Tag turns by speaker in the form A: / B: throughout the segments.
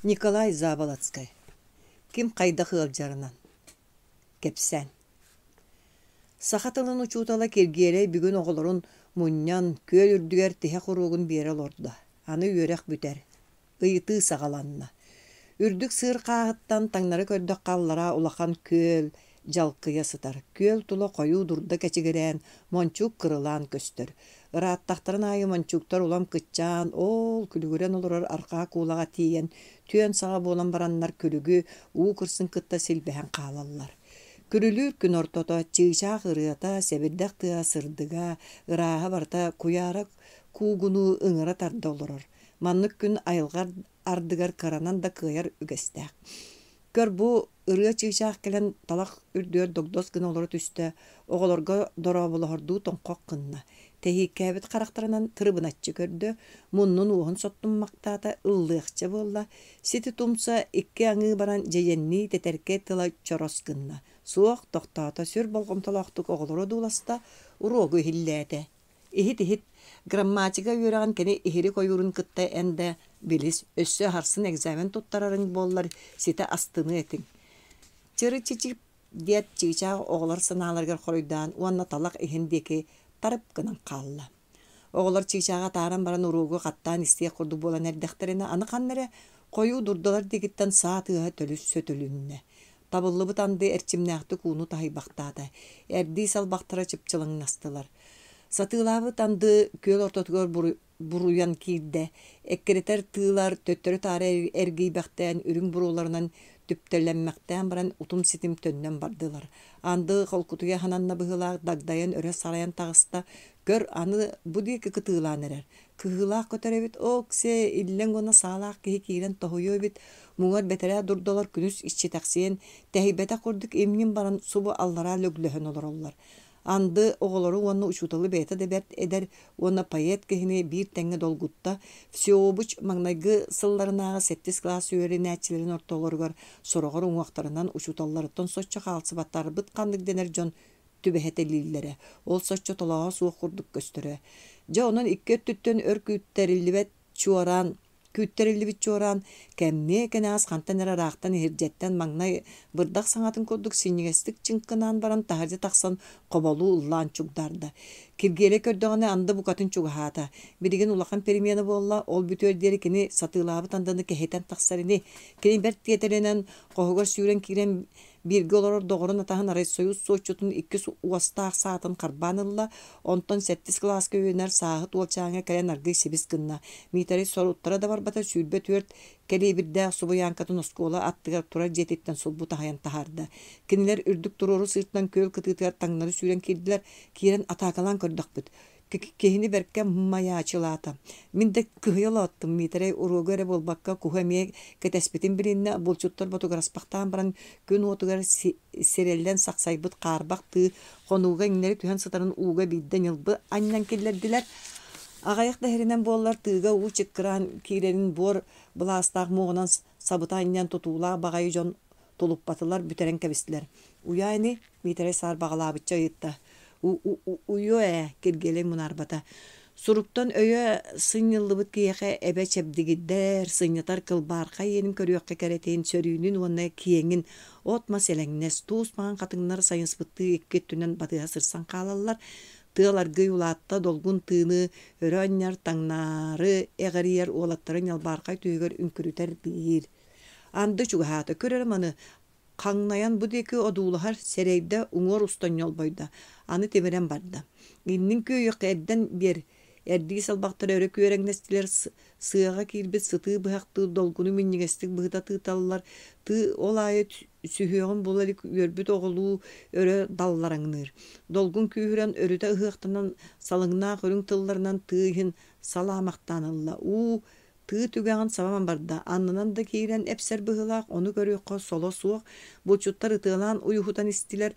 A: Николай Заболоцкай Ким хайдах ыалдьарынан Кэпсээн Саха тылын учуутала Киргиэлэй бүгүн оҕолорун мунньан, күөл үрдүгэр тиһэх уруогун биэрэ олордо. Аны үөрэх бүтэр. Ыйытыы саҕаланна. Үрдүк сыыр хааһыттан таҥнары көрдөххө аллараа улахан күөл дьалкыйа сытар. Күөл тула хойуу дурда кэчигирээн, мончуук кырылаан көстөр. Ырааттахтарын аайы мончууктар улам кыччаан, оол күлүгүрэн олорор арҕаа куулаҕа тиийэн, түөн саҕа буолан бараннар күлүгү уу кырсын кытта силбэһэн хаалаллар. Күрүлүүр күн ортото чыычаах ырыата, сэбирдэх тыа сырдыга, ырааһа барыта куйаара куугунуу ыҥыра тарда олорор. Маннык күн айылҕа ардыгар кыранан да кыайар үгэстээх. Көр бу ырыа чыычаах кэлэн талах үрдүгэр догдос гына олоро түстэ, оҕолорго дорооболоһордуу тоҥхох гынна, тэһииккээбит харахтарынан тырыбыначчы көрдө, муннун уоһун соттуммахтаата, ыллыахча буолла, сити тумса икки аҥыы баран дьэйэннии тэтэркэй тыла чорос гынна, суох, тохтоото, сүр болҕомтолоохтук оҕолору одууласта, уруогу иһиллээтэ. Иһит-иһит, грамматика үөрэҕин кини иһирик ойуурун кытта эн да билис, өссө аһарсын экзамен туттарарыҥ буоллар ситэ астыныа этиҥ. Чыры-чичип диэт чыычаах оҕолор санааларыгар хоруйдаан уонна талах иһин диэки тарып гынан хаалла. Оҕолор чыычааҕы атааран баран уруогу хаттаан истиэх курдук буолан эрдэхтэринэ аны ханна эрэ хойуу дурдалар диэкиттэн саа тыаһа төлүс сөтөлүннэ. Табыллыбыт анды эрчимнээхтик ууну таһыйбахтаата, эрдии салбахтара чыпчылыҥнастылар. Сатыылаабыт анды күөл ортотугар буруйан киирдэ, эккирэтэр тыылар төттөрү-таары эргийбэхтээн үрүҥ буруоларынан түптэлэммэхтээн баран утум-ситим төннөн бардылар. Анды холкутуйа хананна быһыылаах дагдайан өрө сарайан таҕыста, көр аны бу диэки кытыылаан эрэр. Кыһыылаах көтөр эбит, оок-сиэ, иллэҥ уонна саалаах киһи киирэн тоһуйуо эбит, муҥар бэтэрээ дурдалар күнүс иччитэхсийэн, тэһийбэтэх курдук имньин баран субу аллараа лөглөһөн олороллор. Анды оҕолору уонна учууталы бэйэтэ да бэрт эдэр уонна поэт киһини биир тэҥҥэ долгутта, всеобуч маҥнайгы сылларынааҕы сэттис кылаас үөрэнээччилэрин ортолоругар сороҕор уҥуохтарынан учууталларыттан соччо хаалсыбаттарбыт ханнык дэнэр дьон түбэһэтэлииллэрэ, ол соччо толооһо суох курдук көстөрө. Дьэ онон икки өттүттэн өр күүттэриллибэт чуораан күүттэриллибит чуораан кэмниэ кэнэҕэс хантан эрэ ыраахтан иһирдьэттэн маҥнай бырдах саҥатын курдук синньигэстик чыҥкынаан баран таһырдьа тахсан хоболуу ыллаан чугдаарда. Киргиэлэй көрдөҕүнэ анды букатын чугаһаата. Билигин улахан перемена буолла, ол бүтүөр диэри кини сатыылаабыт андыны кэһэтэн тахсар ини. Кини бэрт тиэтэлинэн хоһугар сүүрэн киирэн Бииргэ олорор доҕорун атаһын райсоюз суотчутун иккис уостаах саатын харбаан ылла, онтон сэттис кылааска үөрэнэр сааһыт уолчааҥҥа кэлэн аргыый сибис гынна. Миитэрэй соруттара да барбата 24 кэлиэбирдээх субуйааҥкатын оскуола аттыгар турар дьиэтиттэн сулбу таһыйан таһаарда. Кинилэр үрдүк туруору сыыртан күөл кытыытыгар таҥнары сүүрэн киирдилэр, киирэн атаакалаан көрдөхпүт. Киһини бэркэ майаачылаата. Мин да кыһыйа олооттум, Миитэрэй уруогу эрэ буолбакка, куһу эмиэ кэтэспитин билиннэ, булчуттар ботугураспахтаан баран, күн уотугар сирэллэн сахсайбыт хаарбах тыы хонууга иҥнэри түһэн сытарын ууга биирдэ ньылбы анньан киллэрдилэр. Аҕыйах да иһэринэн буоллар, тыыга уу чыккыраан киирэрин буор былаастаах муоҕунан сабыта анньан тутуулаах баҕайы дьон тулуппатылар, бүтэрэн кэбистилэр. Уйаа ини, Миитэрэй саарбаҕалаабычча ыйытта. Уйуо ээ, Киргиэлэй мунаарбата. Суруктан өйө сынньыллыбыт киһиэхэ эбэ чэбдигирдэр, сынньатар кылбаархай иэнин көрүөххэ кэрэтин, сөрүүнүн уонна киэҥин от-мас элэҥнэс, туус маҥан хатыҥнар сайыспыттыы икки өттүнэн батыһа сырсан хаалаллар. Тыал аргыый улаатта, долгун тыыны өрө анньар, таҥнаары эҕэрийэр уолаттары ньалбаархай түһүгэр үҥкүрүтэр биир. Анды чугаһаата, көр эрэ маны, Хаҥнайан бу диэки одуулаһар, сэрэйдэ, уҥуор устан ньолбойдо, аны тимирэн барда. Иннин күөйүөххэ эрдэн биэр, эрдии салбахтара өрө күөрэҥнэстилэр, сыаҕа киирбит сытыы быһахтыы долгуну минньигэстик быһыта тыыталлар, тыы ол аайы сүһүөҕүн була илик үөрбүт оҕолуу өрө даллараҥныыр. Долгун күүһүрэн өрүтэ ыһыахтанан салыҥнаах үрүҥ тылларынан тыы иһин салаамахтаан ылла. Уу, Тыы түгэҕин сабан барда, аннынан да киирэн эпсэр быһыылаах, ону көрүөххэ соло суох, булчуттар ытыалаан уйуһутан истилэр,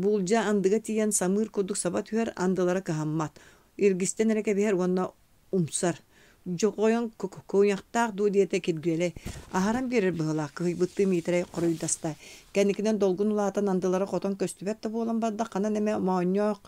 A: буулдьа андыга тиийэн самыыр курдук саба түһэр, андылара кыһаммат, илгистэн эрэ кэбиһэр уонна умсар. Дьоҕойон куйахтаах дуу диэтэ Киргиэлэй. Аһаран биэрэр быһыылаах, кыһыйбыттыы Миитэрэй хоруйдаста. Кэнникинэн долгун улаатан андылара хотон көстүбэт да буолан барда, ханан эмэ моонньоох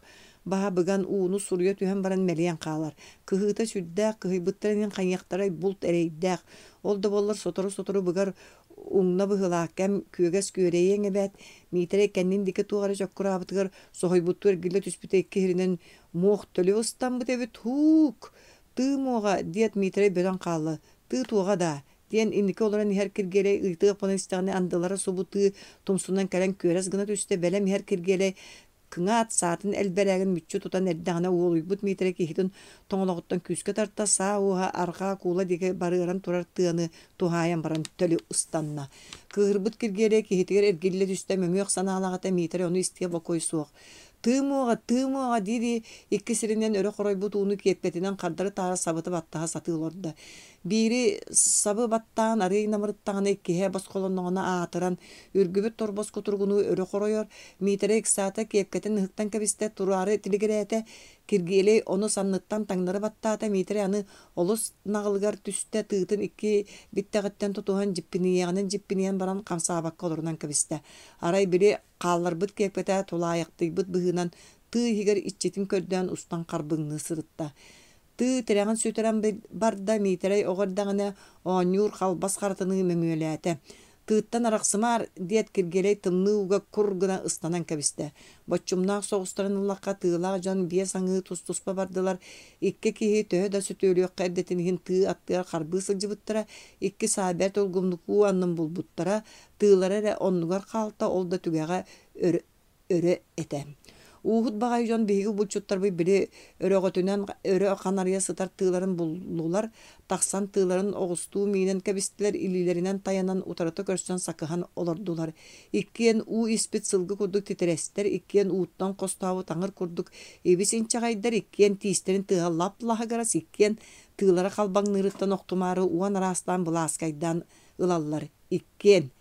A: Баһа быган ууну суруйа түһэн баран мэлийэн хаалар. Кыһыыта сүрдээх, кыһыйбыттар иһин хайыахтарай булт эрэйдээх. Ол да буоллар сотору-сотору быгар уҥна быһыылаах кэм күөгэс күөрэйиэҥ эбээт. Миитэрэй кэннин диэки туох эрэ чоккураабытыгар соһуйбуттуу эргиллэ түспүтэ икки иһиринэн муох төлү ыстаммыт эбит һуук! Тыы муоҕа, диэт Миитэрэй бөтөн хаалла. Тыы туоҕа даа? диэн инники олорон иһэр Киргиэлэй ыйытыах буолан истэҕинэ андылара субу тыы тумсунан кэлэн күөрэс гына түстэ. Бэлэм иһэр Киргиэлэй кыҥаат саатын элбэрээгин мүччү тутан эрдэҕинэ уолуйбут Миитэрэй киһитин тоҥолоҕуттан күүскэ тарта, саа уоһа арҕаа куула диэки барыаран турар тыаны туһаайан баран төлү ыстанна. Кыыһырбыт Киргиэлэй киһитигэр эргиллэ түстэ, мөҥүөх санаалаах этэ Миитэрэй ону истиэ бокуой суох. Тыы муоҕа, тыы муоҕа дии-дии икки сиринэн өрө хоройбут ууну киэпкэтинэн хардары-таары сабыта баттаһа сатыы олордо. Биири сабы баттаан арыый намырыттаҕына, иккиһэ босхолонноҕуна аатыран, үргүбүт торбос кутуругунуу өрө хоройор. Миитэрэй ыксаата, киэпкэтин ыһыктан кэбистэ, тураары тилигирээтэ. Киргиэлэй ону санныттан таҥнары баттаата. Миитэрэй аны олус наҕылыгар түстэ, тыытын икки биттэҕиттэн тутуһан дьиппинийиэҕинэн дьиппинийэн баран хамсаабакка олорунан кэбистэ. Арай били хаалларбыт киэпкэтэ тулаайахтыйбыт быһыынан тыы иһигэр иччитин көрдөөн устан харбыҥныы сырытта. Тыы тирэҕин сүтэрэн барда, Миитэрэй оҕо эрдэҕинэ оонньуур халбас харатыныы мөҥүөлээтэ. Тыыттан арахсымаар, диэт Киргиэлэй тымныы ууга кур гына ыстанан кэбистэ. Боччумнаах соҕустарын ыллахха, тыылаах дьон биэс аҥыы тус-туспа бардылар. Икки киһи төһө да сөтүөлүөххэ эрдэтин иһин тыы аттыгар харбыы сылдьыбыттара, икки саа бэрт улгумнук уу аннын булбуттара, тыылара эрэ оннугар хаалта, ол да түгэҕэ өрө өрө этэ. Ууһут баҕайы дьон биһиги булчуттарбыт били өрөҕөтүнэн өрө ханарыйа сытар тыыларын буллулар, тахсан тыыларын оҕустуу миинэн кэбистилэр, илиилэринэн тайанан утарыта көрсөн сакыһан олордулар. Иккиэн уу испит сылгы курдук титирэстэр, иккиэн ууттан хостообут аҥыр курдук ибис инчэҕэйдэр, иккиэн тиистэрин тыаһа лап-лаһыгырас, иккиэн тыылара халбаҥныырыттан охтумаары уон араастаан былааскайдаан ылаллар. Иккиэн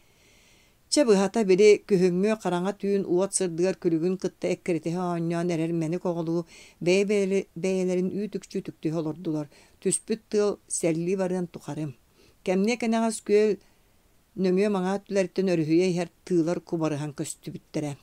A: Чэ, быһата, били күһүҥҥү хараҥа түүн уот сырдыгар күлүгүн кытта эккирэтиһэ оонньоон эрэр мэник оҕолуу бэйэ-бэйэлэрин үүт-үкчү үтүктүһэ олордулар. Түспүт тыал сэллии барыан тухары. Кэмниэ кэнэҕэс күөл нөҥүө-маҥаа өттүлэриттэн өрүһүйэ иһэр тыылар кубарыһан көстүбүттэрэ.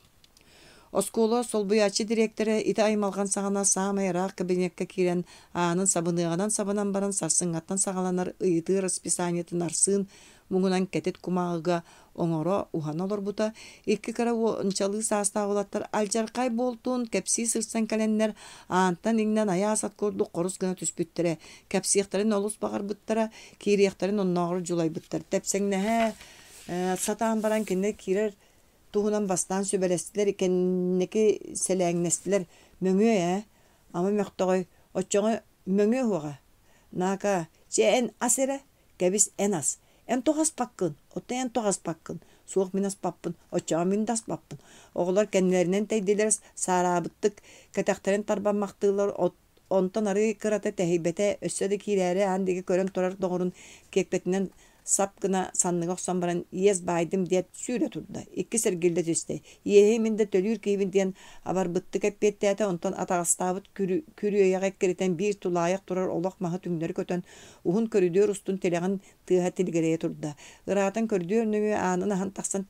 A: Оскуола солбуйааччы дириэктэрэ ити аймалҕан саҕана саамай ыраах кабинекка киирэн аанын сабыныаҕынан сабынан баран сарсыҥҥаттан саҕаланар ыйытыы расписаниетын Арсыын муҥунан кэтит кумааҕыга оҥоро, уһана олорбута. Икки кыра уончалыы саастаах уолаттар алдьархай буолтун кэпсии сырсан кэлэннэр аантан иҥнэн айаас ат курдук хорус гына түспүттэрэ. Кэпсиэхтэрин олус баҕарбыттара, киириэхтэрин оннооҕор дьулайбыттар. Тэпсэҥнэһэ сатаан баран кинилэр киирэр туһунан бастаан сүбэлэстилэр, кэнники сэлээҥнэстилэр. Мөҥүө ээ, ама мөхтөҕөй, оччоҕо мөҥүө уһуоҕа. Наака, чэ эн ас эрэ, Кэбис, эн ас. Эн тоҕо аспаккын? Оттон эн тоҕо аспаккын? Суох, мин аспаппын. Оччоҕо мин да аспаппын. Оҕолор кэннилэринэн тэйдилэр, саараабыттык кэтэхтэрин тарбаммахтыыллар, онтон арыый кырата тэһийбэтэ, өссө да киирээри аан диэки көрөн турар доҕорун киэпкэтинэн сап гына санныга охсон баран иэс баайдым диэт сүүрэ турда. Иккис эргиллэ түстэ. Иэһи мин да төлүүр киһибин диэн абарбыттык эппиэттээтэ, онтон атаҕастаабыт күрүөйэҕи эккирэтэн биир тулаайах турар олох маһы түҥнэри көтөн Уһун көрүдүөр устун тилэҕин тыаһа тилигирэйэ турда. Ыраатан көрүдүөр нөҥүө аанын аһан тахсан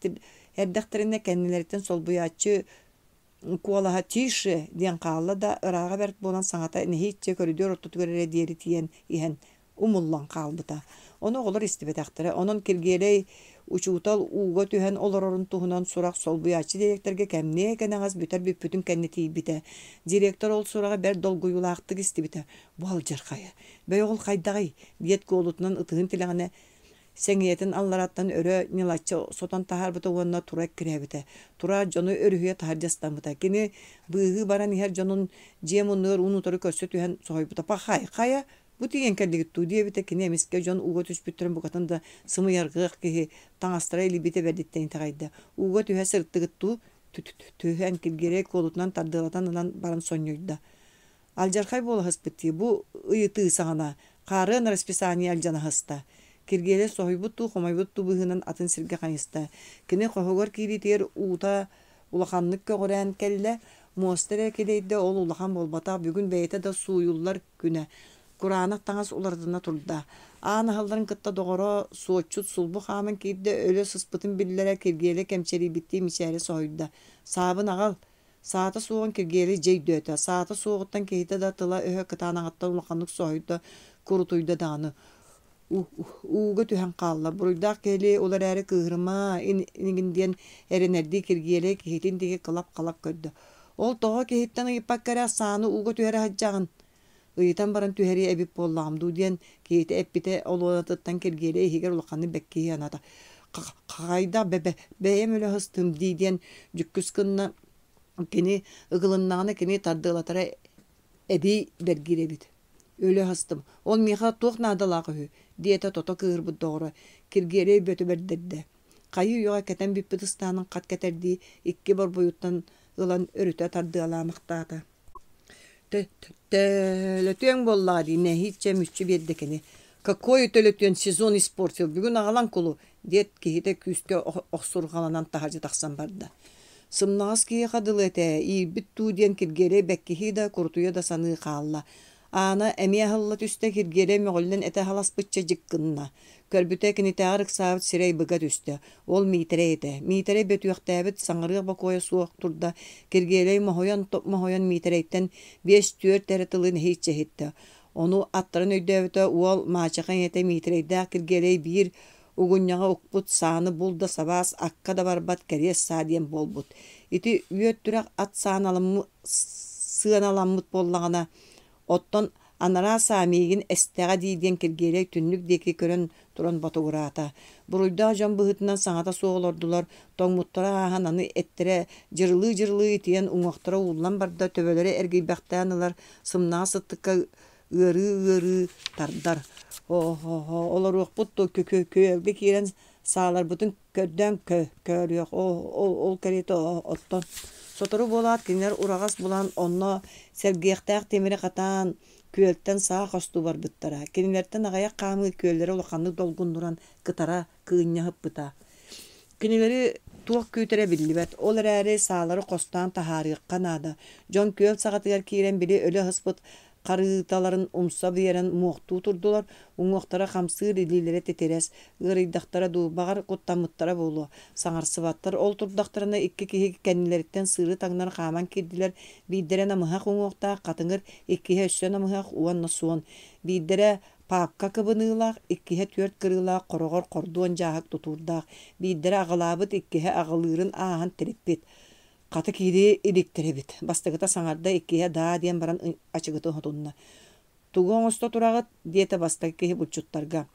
A: эрдэхтэринэ кэннилэриттэн солбуйааччы куолаһа «Тише!» диэн хаалла да, ырааҕа бэрт буолан саҥата нэһииччэ көрүдүөр ортотугар эрэ диэри тиийэн иһэн умуллан хаалбыта. Ону оҕолор истибэтэхтэрэ. Онон Киргиэлэй учуутал ууга түһэн олорорун туһунан сурах солбуйааччы дириэктэргэ кэмниэ кэнэҕэс бүтэр бүппүтүн кэннэ тиийбитэ. Директор ол сураҕы бэрт долгуйуулаахтык истибитэ. Бу алдьархайа. Бэйэ ол хайдаҕый? диэт куолутунан ытыһын тилэҕинэ сэҥийэтин аллараттан өрө ньылаччы сотон таһаарбыта уонна тура эккирээбитэ. Тураат дьону өрүһүйэ таһырдьа ыстаммыта. Кини быыһыы баран иһэр дьонун дьиэ муннугар уун-утары көрсө түһэн соһуйбута. «Пахай, хайа, бу тиийэн кэллигит дуу?» диэбитэ. Кини эмискэ дьон ууга түспүттэрин букатын да сымыйаргыах киһи таҥастара илийбитэ бэрдиттэн итэҕэйдэ. «Ууга түһэ сырыттыгыт дуу?» Түһэн Киргиэлэй куолутунан тардыалатан ылан баран сонньуйда. Алдьархай буолаһыспыт дии, бу ыйытыы саҕана хаарыан расписание алдьанаһыста. Киргиэлэй соһуйбут дуу, хомойбут дуу быһыынан атын сиргэ хайыста. Кини хоһугар киириитигэр уута улаханнык көҕүрээн кэллэ, муоста эрэ килэйдэ, ол улахан буолбатах, бүгүн бэйэтэ да сууйуллар күнэ. Кураанах таҥас уларытына турда. Аан аһылларын кытта доҕоро суотчут сулбу хааман киирдэ, өлө сыспытын биллэрэ, Киргиэлэй кэмчэрийбиттии мичээрэ соһуйда. «Саабын аҕал!» Саата суоҕун Киргиэлэй дьэ өйдөөтө. Саата суоҕуттан киһитэ да тыла-өһө кытаанаҕыттан улаханнык соһуйда, курутуйда даҕаны. Ууга түһэн хаалла. Буруйдаах киһилии ол эрээри кыыһырыма инигин диэн эрэнэрдии Киргиэлэй киһитин диэки кылап-халап көрдө. Ол тоҕо киһиттэн ыйыппакка эрэ сааны ууга түһэрэ сылдьаҕын? Ыйытан баран түһэриэ эбит буоллаҕым дуу диэн киһитэ эппитэ олуонатыттан Киргиэлэй иһигэр улаханнык бэккиһии анаата. Хайдах бэйэм өлө сыстым дии диэн дьүккүс гынна. Кини ыгылыннаҕына кини тардыалатара эбии бэргиир эбит. Өлө сыстым. Ол миэхэ туох наадалаах үһү? диэтэ тото кыыһырбыт доҕоро. Киргиэлэй бөтө бэрдэрдэ. Хайыы-үйэҕэ кэтэн бүппүт ыстаанын хат кэтэрдии икки борбуйуттан ылан өрүтэ тардыалаамахтаата. Төлөтүөҥ буоллаҕа дии, нэһииччэ мүччү биэрдэ кини. Какой төлөтүөн сезон испортил, бүгүн аҕалан кулу, диэт киһитэ күүскэ охсурҕаланан таһырдьа тахсан барда. Сымнаҕас киһиэхэ дылы этэ, иирбит дуу диэн Киргиэлэй бэккиһии да, курутуйа да саныы хаалла. Аана эмиэ аһылла түстэ, Киргиэлэй мөҕүллэн этэ аһаласпычча дьик гынна. Көрбүтэ, кинитээҕэр ыксаабыт сирэй быга түстэ. Ол Миитэрэй этэ. Миитэрэй бөтүөхтээбит, саҥарыах бокуойа суох турда. Киргиэлэй моһуйан-моһуйан Миитэрэйтэн биэс-түөрт эрэ тылы нэһииччэ иһиттэ. Ону аттарын өйдөөбүтэ, уол маачаха ийэтэ Миитэрэйдээх Киргиэлэй биир угунньаҕа укпут сааны бул да сабаас, акка да барбат кэриэс саа диэн буолбут. Ити үөт-түрэх ат сыаналаммыт буоллаҕына, Оттон анараа саа миигин эстэҕэ дии диэн Киргиэлэй түннүк диэки көрөн туран ботугураата. Буруйдаах дьон быһыытынан саҥата суох олордулар, тоҥмуттара ааһан аны эттэрэ дьырылыы-дьырылыы итийэн уҥуохтара ууллан барда, төбөлөрө эргийбэхтээн ылар, сымнаҕас сыттыкка ыарыы-ыарыы тардар. Олоруохпут дуо күөлгэ киирэн сааларбытын көрдөөн көрүөх ол кэриэтэ оттон сотору буолаат кинилэр ураҕас булан онно сэргиэхтээх тимири хатаан күөлтэн саа хостуу барбыттара кинилэртэн аҕыйах хаамыы күөллэрэ улаханнык долгуннуран кытара кыынньа сыппыта кинилэри туох күүтэрэ биллибэт ол эрээри саалары хостоон таһаарыахха наада дьон күөл саҕатыгар киирэн били өлө сыспыт Харыыталарын умса биэрэн муохтуу турдулар, уҥуохтара хамсыыр, илиилэрэ титирэс, ыарыйдахтара дуу, баҕар, куттаммыттара буолуо. Саҥарсыбаттар, ол турдахтарына икки киһи кэннилэриттэн сыыры таҥнары хааман киирдилэр, биирдэрэ намыһах уҥуохтаах хатыҥыр, иккиһэ өссө намыһах уонна суон. Биирдэрэ паапка кыбыныылаах, иккиһэ түөрт кырыылаах хороҕор хордуон дьааһык тутуурдаах, биирдэрэ аҕылаабыт, иккиһэ аҕылыырын ааһан тириппит. Хата киирии иликтэр эбит. Бастакыта саҥарда, иккиһэ даа диэн баран ачыгытын хотунна. «Тугу оҥосто тураҕыт?» диэтэ бастакы киһи булчуттарга.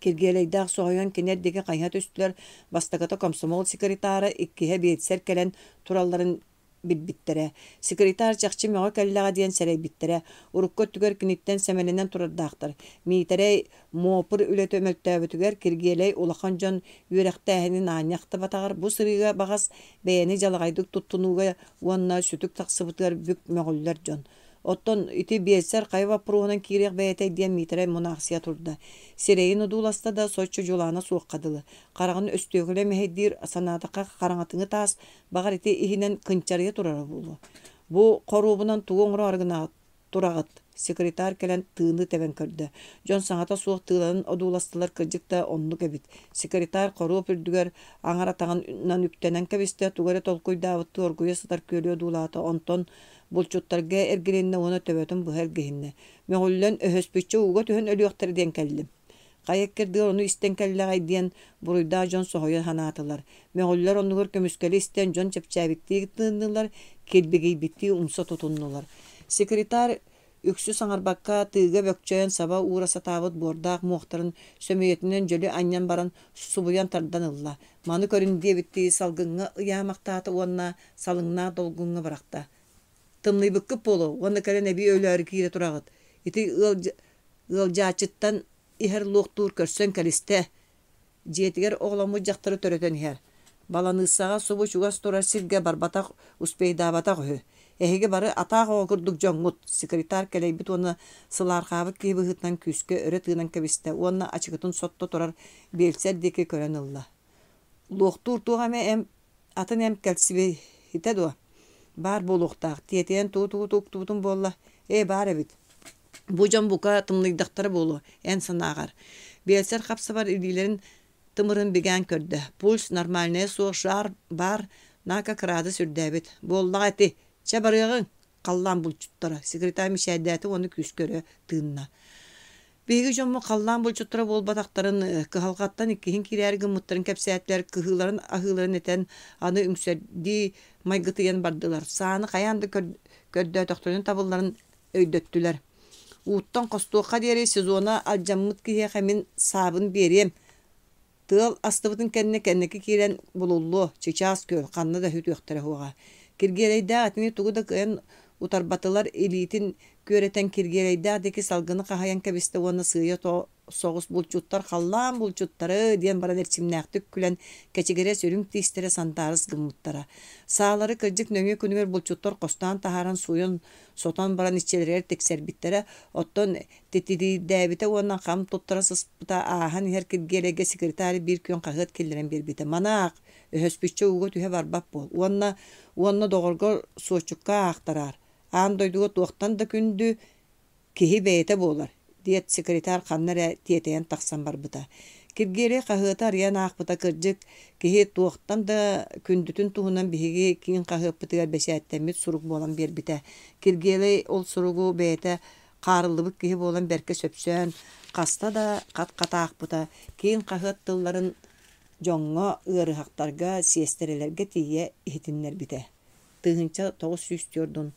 A: Киргиэлэйдээх соһуйан кинилэр диэки хайыһа түстүлэр. Бастакыта комсомол секретара, иккиһэ биэлсэр кэлэн туралларын билбиттэрэ. Секретарь чахчы мөҕө кэллэҕэ диэн сэрэйбиттэрэ. Урукку өттүгэр киниттэн сэмэлэнэн турардаахтар. Миитэрэй Муопур үлэтэ мөлтөөбүтүгэр Киргиэлэй улахан дьон үөрэхтээһинин аанньа ахтыбатаҕар бу сырыыга баҕас бэйэни дьалаҕайдык туттунууга уонна сүтүк тахсыбытыгар бүк мөҕүллэр дьон. Оттон ити биэлсэр хайа боппуруоһунан киириэх бэйэтэй диэн Миитэрэй мунаахсыйа турда. Сирэйин одууласта да соччо дьулаана суохха дылы. Хараҕын өстүөкүлэ мэһэйдиир санаатахха хараҥатыҥы таас баҕар ити иһинэн кынчарыйа турара буолуо. Бу хоруобунан тугу оҥороору гынаҕыт Тураҕыт, секретарь кэлэн тыыны тэбэн көрдө. Дьон саҥата суох тыыланан одууластылар кырдьык да оннук эбит. Секретарь хоруоп үрдүгэр аҥар атаҕынан үктэнэн кэбистэ, тугу эрэ толкуйдаабыттыы оргуйа сытар күөлү одуулаата, онтон булчуттарга эргилиннэ уонна төбөтүн быһа илгиһиннэ. Мөҕүллэн, өһөспүччэ ууга түһэн өлүөхтэрэ диэн кэллим. Хайа иккэрдигэр ону истэн кэллэҕэй диэн буруйдаах дьон соһуйа санаатылар. Мөҕүллэр оннугар көмүскэли истэн дьон чэпчээбиттии тыыннылар, килбигийбиттии умса тутуннулар. Секретарь үксү саҥарбакка тыыга бөкчөйөн саба уура сатаабыт буордаах муохтарын сөмүйэтинэн дьөлү анньан баран субуйан тардан ылла. Маны көрүн диэбиттии салгыҥҥа ыйаамахтаата уонна салыҥнаах долгуҥҥа бырахта. Тымныйбыккыт буолуо уонна кэлэн эбии өлөөрү киирэ тураҕыт. Ити ыалдьааччыттан иһэр луохтуур көрсөн кэлистэ. Дьиэтигэр оҕоломмут дьахтары төрөтөн иһэр. Баланыыссаҕа субу чугас турар сиргэ барбатах, успейдаабатах үһү. Эһиги бары атаах оҕо курдук дьоҥҥут, секретарь кэлэйбит уонна сылаархаабыт киһи быһыытынан күүскэ өрө тыынан кэбистэ уонна ачыкытын сотто турар биэлсэр диэки көрөн ылла. Луохтуур туох эмэ эмп Атын эмп кэлсибитэ дуо? Баар буолуохтаах, тиэтэйэн тугу-тугу туктубутум буолла? Ээ, баар эбит. Бу дьон бука тымныйдахтара буолуо, эн санааҕар. Биэлсэр хапсабар илиилэрин тымырын бигээн көрдө. Пульс нормальнайа суох жар баар, Наака кыраадыс үрдээбит. Буоллаҕа ити. Чэ, барыаҕыҥ, халлаан булчуттара, секретарь мичээрдээтэ уонна күүскэ өрө тыынна. Биһиги дьоммут халлаан булчуттара буолбатахтарын, кыһалҕаттан иккиһин киирээри гыммыттарын кэпсээтилэр, кыһыыларын-аһыыларын этэн, аны үҥсэрдии майгытыйан бардылар. Сааны хайаан да көрдөөтөхтөрүнэ табылларын өйдөттүлэр. Ууттан хостуохха диэри сезона алдьаммыт киһиэхэ мин саабын биэриэм, Тыал астыбытын кэннэ кэнники киирэн булуллуо, чычаас күөл, ханна да сүтүөхтэрэ суоҕа. Киргиэлэйдээх итини тугу да кыайан утарбатылар, илиитин күөрэтэн Киргиэлэйдээх диэки салгыны хаһыйан кэбистэ уонна сыыйа соҕус булчуттар халлаан булчуттары диэн баран эрчимнээхтик күлэн кэчигирэс үрүҥ тиистэрэ сандаарыс гыммыттара. Саалары кырдьык нөҥүө күнүгэр булчуттар хостоон таһааран сууйан сотон баран иччилэригэр тиксэрбиттэрэ, оттон Титириирдээбитэ уонна хам туттара сыспыта ааһан иһэр Киргиэлэйгэ секретарь биир күн хаһыат киллэрэн биэрбитэ. Маны аах, өһөспүччэ ууга түһэ барбат буол уонна уонна доҕоргор суоччукка аахтараар. Аан дойдуга туохтан да күндү киһи бэйэтэ буолар, диэт секретарь ханна эрэ тиэтэйэн тахсан барбыта. Киргиэлэй хаһыаты арыйан аахпыта кырдьык, киһи туохтан да күндүтүн туһунан биһиги киин хаһыаппытыгар бэчээттэммит сурук буолан биэрбитэ. Киргиэлэй ол суругу бэйэтэ Хаарыллыбыт киһи буолан бэркэ сөпсөөн, хаста да хат-хат аахпыта, киин хаһыат тылларын дьоҥҥо, ыарыһахтарга, сиэстэрэлэргэ тиийэ иһитиннэрбитэ. 1944.